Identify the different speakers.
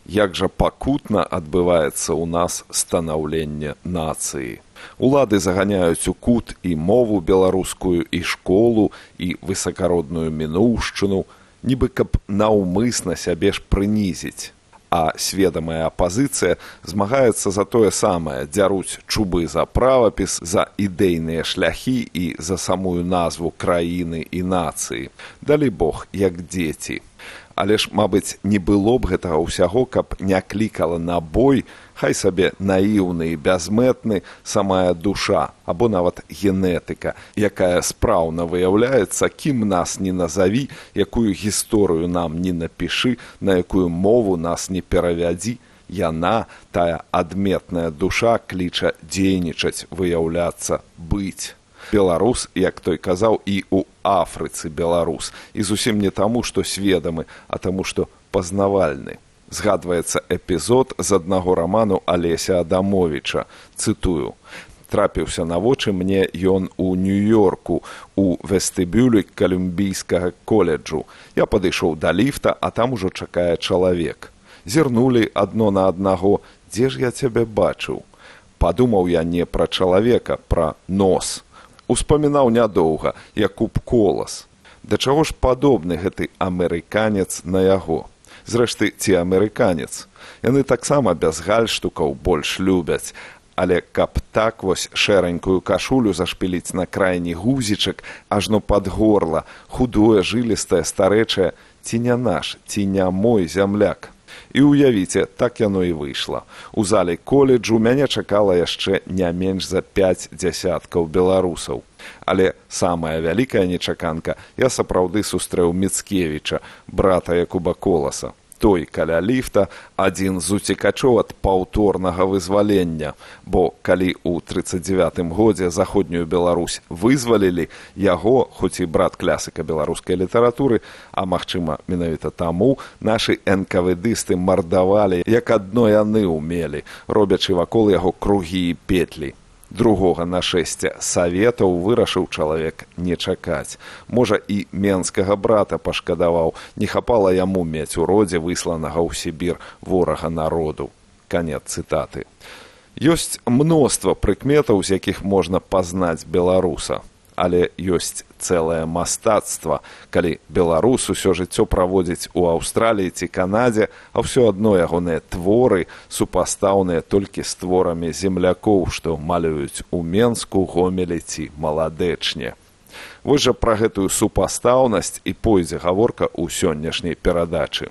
Speaker 1: як жа пакутна адбываецца ў нас станаўленне нацыі. Улады заганяюць у кут і мову беларускую, і школу, і высакародную мінуўшчыну, нібы каб наўмысна сябе ж прынізіць. А сведамая апазіцыя змагаецца за тое самае, дзяруць чубы за правапіс, за ідэйныя шляхі і за самую назву краіны і нацыі. Далі Бог, як дзеці. Але ж, мабыць, не было б гэтага ўсяго, каб не клікала на бой, хай сабе наіўны і бязмэтны самая душа, або нават генетыка, якая спраўна выяўляецца, кім нас не назаві, якую гісторыю нам не напішы, на якую мову нас не перавядзі, яна, тая адметная душа, кліча дзейнічаць, выяўляцца, быць. Беларус, як той казаў, і ў Афрыцы беларус. І зусім не таму, што сведамы, а таму, што пазнавальны. Згадваецца эпізод з аднаго раману Алеся Адамовіча. Цытую. Трапіўся на вочы мне ён у Нью-Йорку, у вестыбюлі Калумбійскага коледжу. Я падышоў да ліфта, а там ужо чакае чалавек. Зірнулі адно на аднаго. Дзе ж я цябе бачыў? Падумаў я не пра чалавека, пра нос. Успамінаў нядоўга, Якуб Колас. Да чаго ж падобны гэты амерыканец на яго? Зрэшты, ці амерыканец? Яны таксама без гальштукаў больш любяць. Але каб так вось шэранькую кашулю зашпіліць на крайні гузічак, ажно пад горла, худое, жылістае, старэчае, ці не наш, ці не мой зямляк? І уявіце, так яно і выйшла. У зале коледжу мяне чакала яшчэ не менш за 5 дзясяткаў беларусаў. Але самая вялікая нечаканка, я сапраўды сустрэў Міцкевіча, брата Якуба Коласа. Той каля ліфта, адзін з уцекачоў ад паўторнага вызвалення, бо калі ў 39-м годзе заходнюю Беларусь вызвалілі, яго, хоць і брат класіка беларускай літаратуры, а магчыма, менавіта таму, нашы энкавэдысты мардавалі, як адно яны ўмелі, робячы вакол яго кругі і петлі. Другога нашэсця саветаў вырашыў чалавек не чакаць. Можа, і менскага брата пашкадаваў, не хапала яму мець у родзе высланага ў Сібір ворага народу. Канец цытаты. Ёсць мноства прыкметаў, з якіх можна пазнаць беларуса. Але ёсць цэлае мастацтва, калі беларус усё жыццё праводзіць у Аўстраліі ці Канадзе, а ўсё адно ягоныя творы супастаўныя толькі з творамі землякоў, што малююць у Менску, Гомелі ці Маладэчне. Вось жа пра гэтую супастаўнасць і пойдзе гаворка ў сённяшняй перадачы.